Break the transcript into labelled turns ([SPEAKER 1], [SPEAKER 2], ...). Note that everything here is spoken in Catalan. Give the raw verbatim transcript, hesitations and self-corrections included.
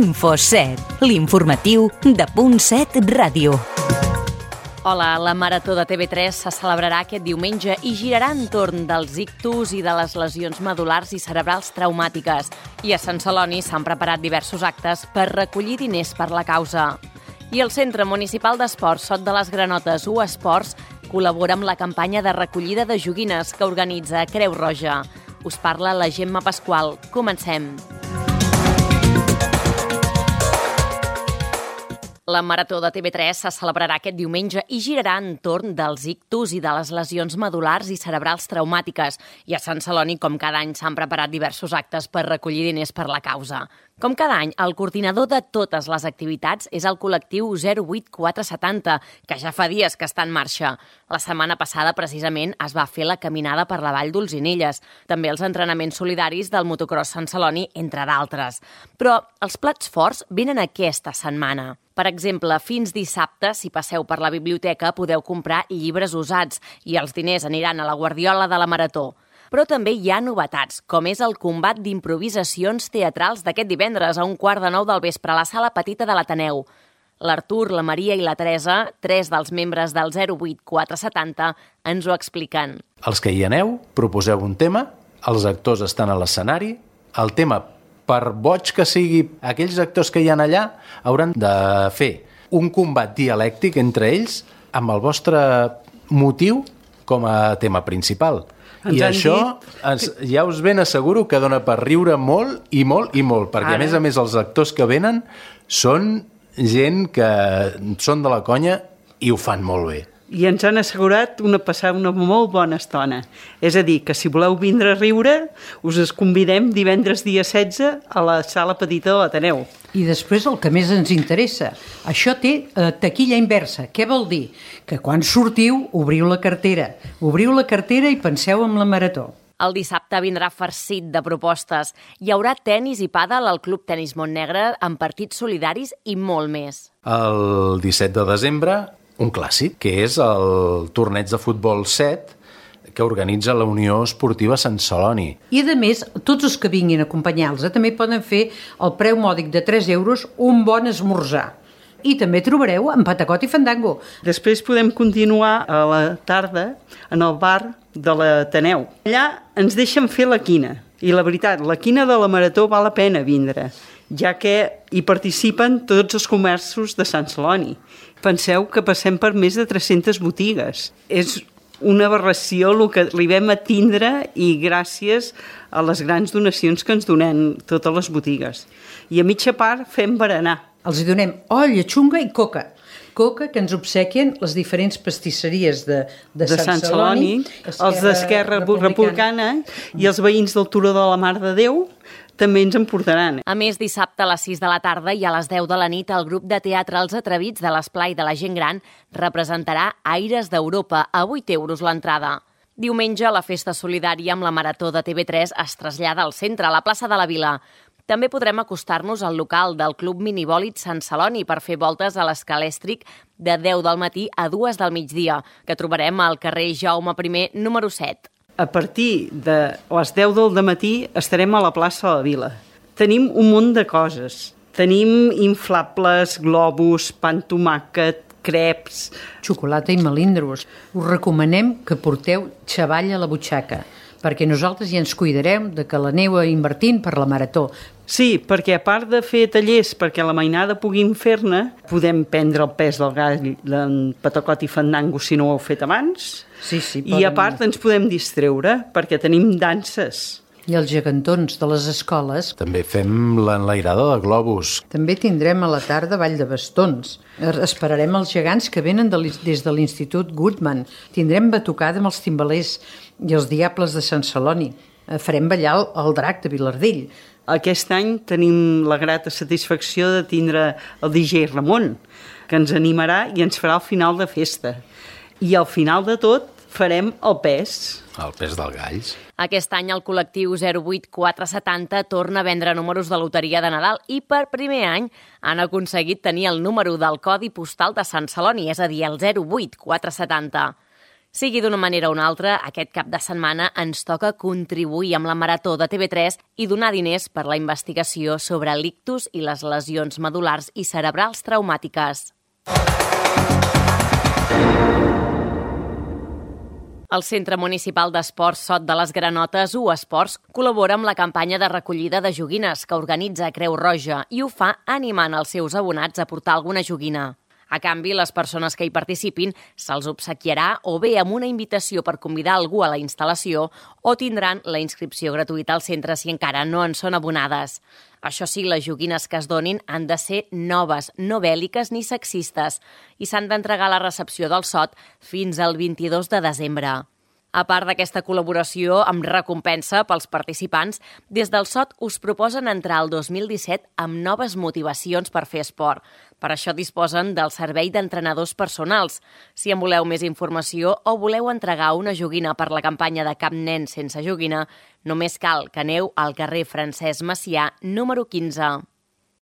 [SPEAKER 1] Info set, l'informatiu de Punt set Ràdio.
[SPEAKER 2] Hola, la Marató de T V tres se celebrarà aquest diumenge i girarà entorn dels ictus i de les lesions medul·lars i cerebrals traumàtiques. I a Sant Celoni s'han preparat diversos actes per recollir diners per la causa. I el Centre Municipal d'Esports Sot de les Granotes, U Esports, col·labora amb la campanya de recollida de joguines que organitza Creu Roja. Us parla la Gemma Pasqual. Comencem. La Marató de T V tres se celebrarà aquest diumenge i girarà entorn dels ictus i de les lesions medul·lars i cerebrals traumàtiques. I a Sant Celoni, com cada any, s'han preparat diversos actes per recollir diners per la causa. Com cada any, el coordinador de totes les activitats és el col·lectiu zero vuit quatre setanta, que ja fa dies que està en marxa. La setmana passada, precisament, es va fer la caminada per la Vall d'Olzinelles, també els entrenaments solidaris del motocross Sant Celoni, entre d'altres. Però els plats forts venen aquesta setmana. Per exemple, fins dissabte, si passeu per la biblioteca, podeu comprar llibres usats i els diners aniran a la guardiola de la Marató. Però també hi ha novetats, com és el combat d'improvisacions teatrals d'aquest divendres a un quart de nou del vespre a la sala petita de l'Ateneu. L'Artur, la Maria i la Teresa, tres dels membres del zero vuit quatre setanta, ens ho expliquen.
[SPEAKER 3] Els que hi aneu, proposeu un tema, els actors estan a l'escenari, el tema, per boig que sigui, aquells actors que hi ha allà hauran de fer un combat dialèctic entre ells amb el vostre motiu com a tema principal. Ens I això ens, ja us ben asseguro que dona per riure molt i molt i molt, perquè Ara... a més a més els actors que venen són gent que són de la conya i ho fan molt bé.
[SPEAKER 4] I ens han assegurat una passar una molt bona estona. És a dir, que si voleu vindre a riure, us es convidem divendres dia setze a la sala petita de l'Ateneu.
[SPEAKER 5] I després el que més ens interessa. Això té eh, taquilla inversa. Què vol dir? Que quan sortiu, obriu la cartera. Obriu la cartera i penseu en la Marató.
[SPEAKER 2] El dissabte vindrà farcit de propostes. Hi haurà tenis i pàdel al Club Tenis Montnegre amb partits solidaris i molt més.
[SPEAKER 3] El disset de desembre, un clàssic, que és el torneig de futbol set que organitza la Unió Esportiva Sant Celoni.
[SPEAKER 5] I, a més, tots els que vinguin a acompanyar-los també poden fer el preu mòdic de tres euros un bon esmorzar. I també trobareu en Patacot i Fandango.
[SPEAKER 4] Després podem continuar a la tarda en el bar de l'Ateneu. Allà ens deixen fer la quina. I la veritat, la quina de la Marató val la pena vindre, ja que hi participen tots els comerços de Sant Celoni. Penseu que passem per més de tres-centes botigues. És una aberració el que arribem a tindre i gràcies a les grans donacions que ens donen totes les botigues. I a mitja part fem berenar.
[SPEAKER 5] Els hi donem olla, xunga i coca. Coca que ens obsequien les diferents pastisseries de, de, de Sant, Sant Celoni,
[SPEAKER 4] Celoni els d'Esquerra Republicana. Republicana i els veïns del Turó de la Mare de Déu també ens en portaran.
[SPEAKER 2] A més, dissabte a les sis de la tarda i a les deu de la nit el grup de teatre Els Atrevits de l'Esplai de la Gent Gran representarà Aires d'Europa a vuit euros l'entrada. Diumenge, la festa solidària amb la Marató de T V tres es trasllada al centre, a la plaça de la Vila. També podrem acostar-nos al local del Club Minibòlit Sant Celoni per fer voltes a l'Escalèstric de deu del matí a dues del migdia, que trobarem al carrer Jaume primer, número set.
[SPEAKER 4] A partir de les deu del matí estarem a la plaça de la Vila. Tenim un munt de coses. Tenim inflables, globus, pa amb tomàquet, creps...
[SPEAKER 5] Xocolata i melindros. Us recomanem que porteu xavall a la butxaca, perquè nosaltres ja ens cuidarem de que l'aneu invertint per la Marató.
[SPEAKER 4] Sí, perquè a part de fer tallers perquè la mainada puguin fer-ne, podem prendre el pes del gall d'en Patacot i Fandango si no ho heu fet abans.
[SPEAKER 5] Sí, sí,
[SPEAKER 4] I a part ens podem distreure perquè tenim danses.
[SPEAKER 5] I els gegantons de les escoles.
[SPEAKER 3] També fem l'enlairada de globus.
[SPEAKER 5] També tindrem a la tarda ball de bastons. Esperarem els gegants que venen de des de l'Institut Goodman. Tindrem batucada amb els timbalers i els diables de Sant Celoni. Farem ballar el, el drac de Vilardell.
[SPEAKER 4] Aquest any tenim la grata satisfacció de tindre el D J Ramon, que ens animarà i ens farà el final de festa. I al final de tot farem el pes.
[SPEAKER 3] El pes del galls.
[SPEAKER 2] Aquest any el col·lectiu zero vuit quatre setanta torna a vendre números de loteria de Nadal i per primer any han aconseguit tenir el número del codi postal de Sant Celoni, és a dir, el zero vuit quatre setanta. Sigui d'una manera o una altra, aquest cap de setmana ens toca contribuir amb la Marató de T V tres i donar diners per la investigació sobre l'ictus i les lesions medul·lars i cerebrals traumàtiques. El Centre Municipal d'Esports Sot de les Granotes, U Esports, col·labora amb la campanya de recollida de joguines que organitza Creu Roja i ho fa animant els seus abonats a portar alguna joguina. A canvi, les persones que hi participin se'ls obsequiarà o bé amb una invitació per convidar algú a la instal·lació o tindran la inscripció gratuïta al centre si encara no en són abonades. Això sí, les joguines que es donin han de ser noves, no bèl·liques ni sexistes i s'han d'entregar a la recepció del Sot fins al vint-i-dos de desembre. A part d'aquesta col·laboració amb recompensa pels participants, des del Sot us proposen entrar al dos mil disset amb noves motivacions per fer esport. Per això disposen del servei d'entrenadors personals. Si en voleu més informació o voleu entregar una joguina per la campanya de Cap nen sense joguina, només cal que aneu al carrer Francesc Macià, número quinze.